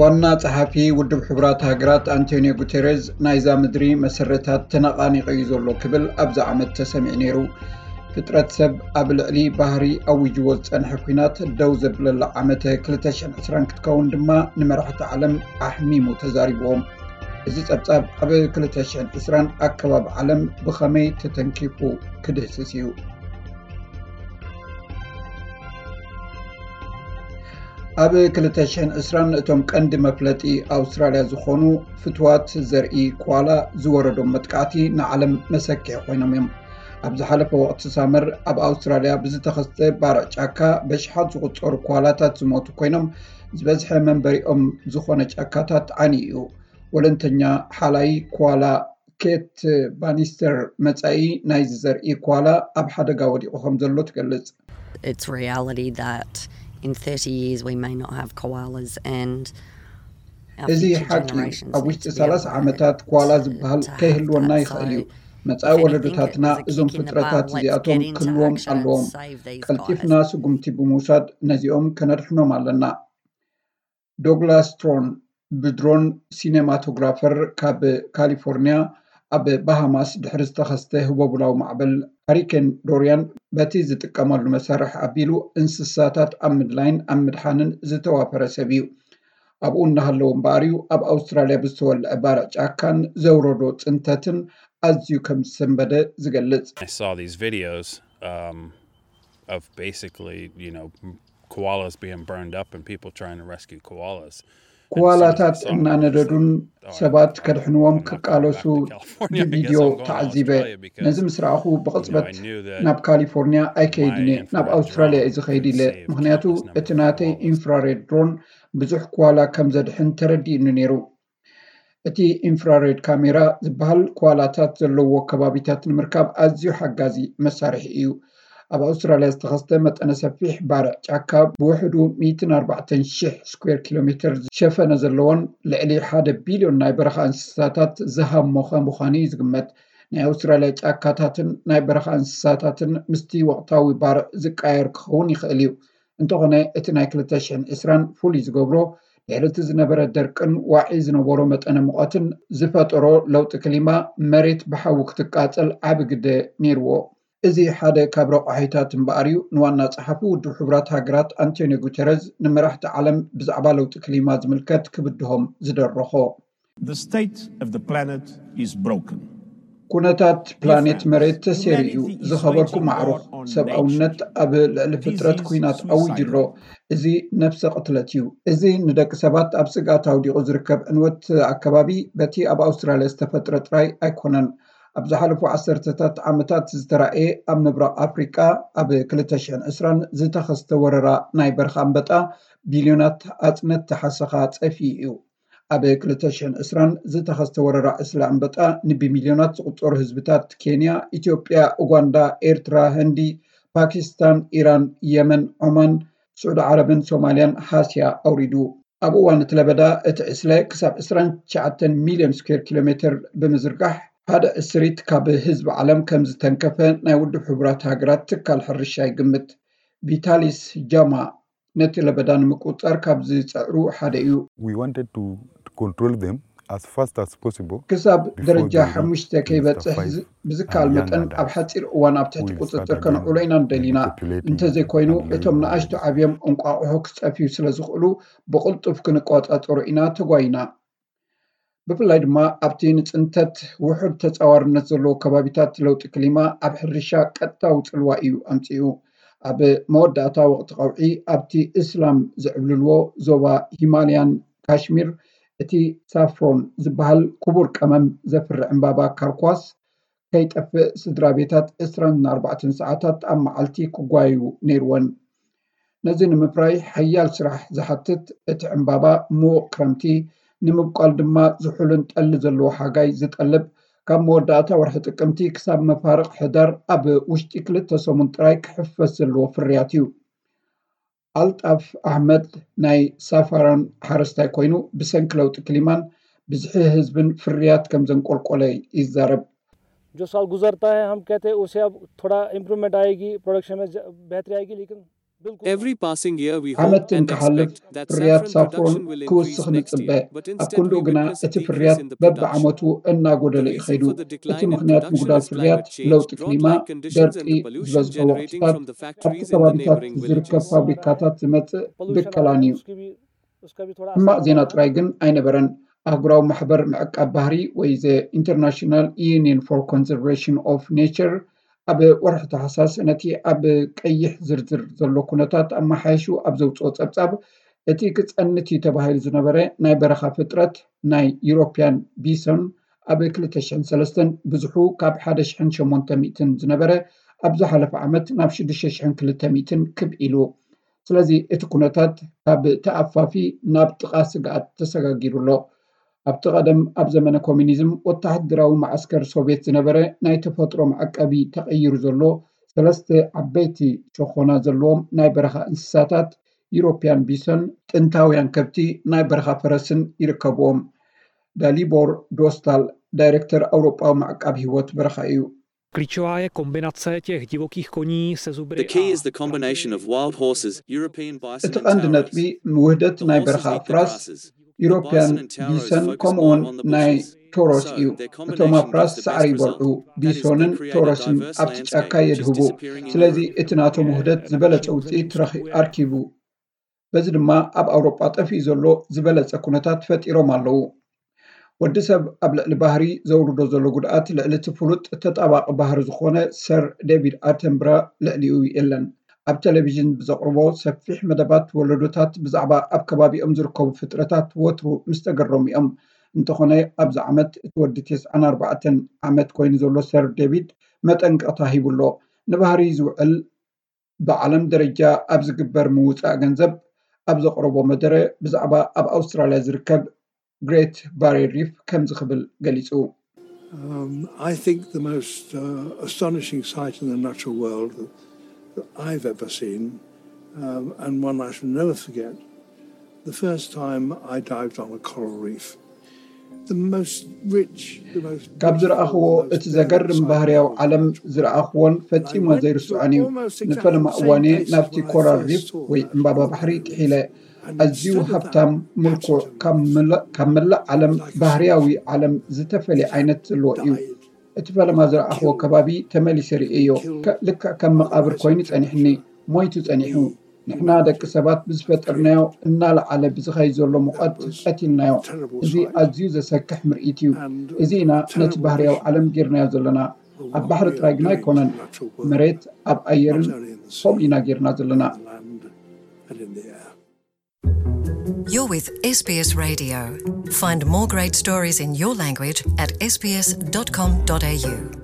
ዋና ጸሓፊ ውድብ ሕቡራት ሃገራት ኣንቶኒዮ ጉተረዝ፣ ናይዛ ምድሪ መሰረታት ተነቓኒቑ እዩ ዘሎ ክብል ኣብዚ ዓመት ተሰሚዑ ነይሩ። ፍጥረት ሰብ ኣብ ልዕሊ ባህሪ ኣዊጅዎ ዝጸንሐ ኲናት ደው ዘብለላ ዓመተ ክልተ ሽሕን ዕስራን ክትከውን ድማ ንመራሕቲ ዓለም ኣሕሚሙ ተዛሪብዎም። እዚ ጸብጻብ ኣብ ክልተ ሽሕን ዕስራን ኣከባቢ ዓለም ብኸመይ ተተንኪፉ ክድህስስ እዩ። ኣብ ክልተ ሽሕን ዕስራን እቶም ቀንዲ መፍለጢ ኣውስትራልያ ዝኾኑ ፍትዋት ዘርኢ ኮዋላ ዝወረዶም መጥቃዕቲ ንዓለም መሰክሒ ኮይኖም እዮም። ኣብ ዝሓለፈ ወቕቲ ሳመር ኣብ ኣውስትራልያ ብዝተኸስተ ባርዕ ጫካ በሽሓት ዝቑጸሩ ኮዋላታት ዝሞቱ ኮይኖም፣ ዝበዝሐ መንበሪኦም ዝኾነ ጫካታት ዓንዩ እዩ። ወለንተኛ ሓላይ ኮዋላ ኬት ባኒስተር መጻኢ ናይዚ ዘርኢ ኮዋላ ኣብ ሓደጋ ወዲቑ ከም ዘሎ ትገልጽ። It's reality that in thirty years we may not have koalas and our እዚ future ሓቂ እዩ። generations ኣብ need ውሽጢ to be ሰላሳ aware ዓመታት ኮዋላ to, ዝበሃል to have ከይህልወና that. ይኽእል እዩ። So, መጻኢ if anything, ወለዶታትና it was a እዞም kick in the ፍጥረታት bum. Let's እዚኣቶም get into ክህልዎም action ኣለዎም። and save these ቀልጢፍና guys. ስጉምቲ ብምውሳድ ነዚኦም ከነድሕኖም ኣለና። ዶግላስ ትሮን ብድሮን ሲኔማቶግራፈር ካብ ካሊፎርኒያ ኣብ ባሃማስ ድሕሪ ዝተኸስተ ህቦቡላዊ ማዕበል ሃሪኬን ዶርያን በቲ ዝጥቀመሉ መሳርሒ ኣቢሉ እንስሳታት ኣብ ምድላይን ኣብ ምድሓንን ዝተዋፈረ ሰብ እዩ። ኣብኡ እናሃለዉ እምበኣር እዩ ኣብ ኣውስትራልያ ብዝተወልዐ ባርዕ ጫካን ዘውረዶ ጽንተትን ኣዝዩ ከም ዝሰንበደ ዝገልጽ። I saw these videos um, of basically, you know, m- koalas being burned up and people trying to rescue koalas. And as soon as I ኮዋላታት saw it, I was just እናነደዱን like, "All right, ሰባት I- ከድሕንዎም I'm not going back ክቃለሱ to California. I guess ብቪድዮ I'm going to ተዓዚበ። Australia because ነዚ ምስ ረኣኹ you know, ብቕጽበት I knew that ናብ ካሊፎርኒያ ኣይከይድን my እየ፣ ናብ infrared ኣውስትራልያ drone እዩ ዝኸይድ could ኢለ። save ምኽንያቱ countless number እቲ of ናተይ koalas. ኢንፍራሬድ ድሮን ብዙሕ ኮዋላ ከም ዘድሕን ተረዲእኒ ነይሩ። እቲ ኢንፍራሬድ ካሜራ ዝበሃል ኮዋላታት ዘለዎ ከባቢታት ንምርካብ ኣዝዩ ሓጋዚ መሳርሒ እዩ። ኣብ ኣውስትራልያ ዝተኸስተ መጠነ ሰፊሕ ባርዕ ጫካ ብውሕዱ ሚእትን ኣርባዕተን ሽሕ ስኩዌር ኪሎ ሜትር ዝሸፈነ ዘለዎን ልዕሊ ሓደ ቢልዮን ናይ በረኻ እንስሳታት ዝሃሞኸ ምዃኑ እዩ ዝግመት። ናይ ኣውስትራልያ ጫካታትን ናይ በረኻ እንስሳታትን ምስቲ ወቕታዊ ባርዕ ዝቃየር ክኸውን ይኽእል እዩ። እንተኾነ እቲ ናይ ክልተ ሽሕን ዕስራን ፍሉይ ዝገብሮ ድሕሪ እቲ ዝነበረ ደርቅን ዋዒ ዝነበሮ መጠነ ሙቐትን ዝፈጠሮ ለውጢ ክሊማ መሬት ብሓዊ ክትቃጸል ዓቢ ግደ ነይርዎ። እዚ ሓደ ካብ ረቋሒታት እምበኣር እዩ ንዋና ጸሓፊ ውድብ ሕቡራት ሃገራት ኣንቶኒዮ ጉተረዝ ንመራሕቲ ዓለም ብዛዕባ ለውጢ ክሊማ ዝምልከት ክብድሆም ዝደረኾ። The state of the planet is broken. ኩነታት ፕላኔት መሬት ተሰይሩ እዩ። ዝኸበርኩም ኣዕሩኽ፣ ሰብኣውነት ኣብ ልዕሊ ፍጥረት ኲናት ኣዊጁ ኣሎ። እዚ ነፍሰ ቅትለት እዩ። እዚ ንደቂ ሰባት ኣብ ስግኣት ኣውዲቑ ዝርከብ ዕንወት ኣከባቢ በቲ ኣብ ኣውስትራልያ ዝተፈጥረ ጥራይ ኣይኮነን። ኣብ ዝሓለፉ ዓሰርተታት ዓመታት ዝተራእየ ኣብ ምብራቕ ኣፍሪቃ ኣብ ክልተ ሽሕን ዕስራን ዝተኸስተ ወረራ ናይ በርኻ ኣንበጣ ቢልዮናት ኣጽነት ተሓሰኻ ጸፊኡ እዩ። ኣብ ክልተ ሽሕን ዕስራን ዝተኸስተ ወረራ ዕስለ ኣንበጣ ንብሚልዮናት ዝቑጸሩ ህዝብታት ኬንያ፣ ኢትዮጵያ፣ ኡጋንዳ፣ ኤርትራ፣ ህንዲ፣ ፓኪስታን፣ ኢራን፣ የመን፣ ዖማን፣ ስዑዲ ዓረብን ሶማልያን ሃስያ ኣውሪዱ። ኣብ እዋን እቲ ለበዳ እቲ ዕስለ ክሳብ ዕስራን ትሽዓተን ሚልዮን ስኩዌር ኪሎ ሜትር ብምዝርጋሕ ሓደ ዕስሪት ካብ ህዝቢ ዓለም ከም ዝተንከፈ ናይ ውድብ ሕቡራት ሃገራት ትካል ሕርሻ ይግምት። ቪታሊስ ጃማ ነቲ ለበዳ ንምቁጽጻር ካብ ዝጸዕሩ ሓደ እዩ። We wanted to control them as fast as possible. ክሳብ before ደረጃ they reach ሓሙሽተ Minister ከይበጽሕ five ዝ- ብዝከኣል and young መጠን ኣብ adults ሓጺር እዋን ኣብ ትሕቲ who will ቁጽጽር start ከነውዕሎ ኢና again ንደሊ ኢና። manipulating እንተዘይኮይኑ and እቶም learning ንኣሽቱ language. ዓብዮም እንቋቑሖ ክጸፍዩ ስለ ዝኽእሉ ብቕልጡፍ ክንቆጻጸሮ ኢና ተጓይና። ብፍላይ ድማ ኣብቲ ንጽንተት ውሑድ ተጻዋርነት ዘለዎ ከባቢታት ለውጢ ክሊማ ኣብ ሕርሻ ቀጥታዊ ጽልዋ እዩ ኣምጺኡ። ኣብ መወዳእታ ወቕቲ ቀውዒ ኣብቲ እስላም ዝዕብልልዎ ዞባ ሂማልያን ካሽሚር እቲ ሳፍሮን ዝበሃል ክቡር ቀመም ዘፍሪ ዕምባባ ካርኳስ ከይጠፍእ ስድራ ቤታት ዕስራን ኣርባዕተን ሰዓታት ኣብ መዓልቲ ክጓየዩ ነይርወን። ነዚ ንምፍራይ ሓያል ስራሕ ዝሓትት እቲ ዕምባባ ምዉቕ ክረምቲ ንምብቋል ድማ ዝሑልን ጠሊ ዘለዎ ሓጋይ ዝጠልብ ካብ መወዳእታ ወርሒ ጥቅምቲ ክሳብ መፋርቕ ሕዳር ኣብ ውሽጢ ክልተ ሰሙን ጥራይ ክሕፈስ ዘለዎ ፍርያት እዩ። ኣልጣፍ ኣሕመድ ናይ ሳፋራን ሓረስታይ ኮይኑ ብሰንኪ ለውጢ ክሊማን ብዝሒ ህዝብን ፍርያት ከም ዘንቆልቆለ ይዛረብ። जो साल गुजरता है हम कहते हैं उससे अब थोड़ा इम्प्रूवमेंट आएगी प्रोडक्शन में ज- बेहतरी आएगी लेकिन ዓመት እንክሓልፍ ፍርያት ሳፍሮን ክውስኽ ንጽበ። ኣብ ክንድኡ ግና እቲ ፍርያት በብዓመቱ እናጎደለ እዩ ኸይዱ። እቲ ምኽንያት ምጉዳል ፍርያት ለውጢ ክሊማ፣ ደርቂ፣ ዝበዝሖ ወቕትታት ኣብቲ ከባቢታት ዝርከብ ፋብሪካታት ዝመጽእ ብከላን እዩ። ሕማቕ ዜና ጥራይ ግን ኣይነበረን። ኣህጉራዊ ማሕበር ምዕቃብ ባህሪ ወይ The International Union for Conservation of Nature ኣብ ወርሒ ታሕሳስ ነቲ ኣብ ቀይሕ ዝርዝር ዘሎ ኩነታት ኣመሓይሹ ኣብ ዘውፅኦ ፀብፃብ፣ እቲ ክፀንት እዩ ተባሂሉ ዝነበረ ናይ በረኻ ፍጥረት ናይ ዩሮፒያን ቢሶን ኣብ ክልተ ሽሕን ሰለስተን ብዝሑ ካብ ሓደ ሽሕን ሸሞንተ ሚእትን ዝነበረ ኣብ ዝሓለፈ ዓመት ናብ ሽዱሽተ ሽሕን ክልተ ሚእትን ክብ ኢሉ። ስለዚ እቲ ኩነታት ካብ ተኣፋፊ ናብ ጥቓ ስግኣት ተሰጋጊሩ ኣሎ። ኣብቲ ቀደም ኣብ ዘመነ ኮሚኒዝም ወተሃደራዊ መዓስከር ሶቭየት ዝነበረ ናይ ተፈጥሮ መዐቀቢ ተቐይሩ ዘሎ ሰለስተ ዓበይቲ ሸኾና ዘለዎም ናይ በረኻ እንስሳታት ዩሮፒያን ቢሶን፣ ጥንታውያን ከብቲ፣ ናይ በረኻ ፈረስን ይርከብዎም። ዳሊቦር ዶስታል ዳይሬክተር ኣውሮጳዊ መዕቃብ ህይወት በረኻ እዩ። Klíčová je kombinace těch divokých koní se zubry. The key is the combination of wild horses, European bison እቲ ቀንዲ ነጥቢ ውህደት ናይ በረኻ ኣፍራስ፣ ዩሮፒያን ቢሰን ከምኡውን ናይ ቶሮስ እዩ። እቶም ኣፍራስ ሳዕሪ ይበልዑ፣ ቢሶንን ቶሮስን ኣብቲ ጫካ የድህቡ። ስለዚ እቲ ናቶም ውህደት ዝበለጸ ውፅኢት ረኺ- ኣርኪቡ። በዚ ድማ ኣብ ኣውሮጳ ጠፊኡ ዘሎ ዝበለጸ ኩነታት ፈጢሮም ኣለዉ። ወዲ ሰብ ኣብ ልዕሊ ባህሪ ዘውርዶ ዘሎ ጉድኣት ልዕሊ እቲ ፍሉጥ ተጣባቂ ባህሪ ዝኾነ ሰር ዴቪድ ኣተንብራ ልዕሊኡ የለን። ኣብ ቴሌቪዥን ብዘቕርቦ ሰፊሕ መደባት ወለዶታት ብዛዕባ ኣብ ከባቢኦም ዝርከቡ ፍጥረታት ወትሩ ምስ ተገረሙ እዮም። እንተኾነ ኣብዚ ዓመት እቲ ወዲ ተስዓን ኣርባዕተን ዓመት ኮይኑ ዘሎ ሰር ዴቪድ መጠንቀቕታ ሂቡ ኣሎ። ንባህሪ ዝውዕል ብዓለም ደረጃ ኣብ ዝግበር ምውፃእ ገንዘብ ኣብ ዘቕረቦ መደረ ብዛዕባ ኣብ ኣውስትራልያ ዝርከብ ግሬት ባሪየር ሪፍ ከምዚ ክብል ገሊፁ። Um, I think the most uh, astonishing sight in the natural world that, that I've ever seen, um, and one I shall never forget, the first time I dived on a coral reef. The most rich, the most ካብ ዝረኣኽዎ እቲ ዘገርም ባህርያዊ ዓለም ዝረኣኽዎን ፈጺሞ ዘይርስዖን እዩ። ንፈለማ እዋን'የ ናብቲ ኮራል ሪፍ ወይ ዕምባባ ባሕሪ ጥሒለ። ኣዝዩ ሃብታም፣ ምልኩዕ፣ ካብ መላእ ዓለም ባህርያዊ ዓለም ዝተፈልየ ዓይነት ዘለዎ እዩ። እቲ ፈለማ ዝረኣኽዎ ከባቢ ተመሊሰ ርእየዮ። ልክዕ ከም መቓብር ኮይኑ ጸኒሕኒ፣ ሞይቱ ጸኒሑ። ንሕና ደቂ ሰባት ብዝፈጠርናዮ እናለዓለ ብዝኸይድ ዘሎ ሙቐት ቀቲልናዮ። እዚ ኣዝዩ ዘሰክሕ ምርኢት እዩ። እዚ ኢና ነቲ ባህርያዊ ዓለም ጌርናዮ ዘለና። ኣብ ባሕሪ ጥራይ ግና ኣይኮነን፣ መሬት፣ ኣብ ኣየርን ከምኡ ኢና ጌርና ዘለና። You're with S B S Radio. Find more great stories in your language at S B S dot com dot A U.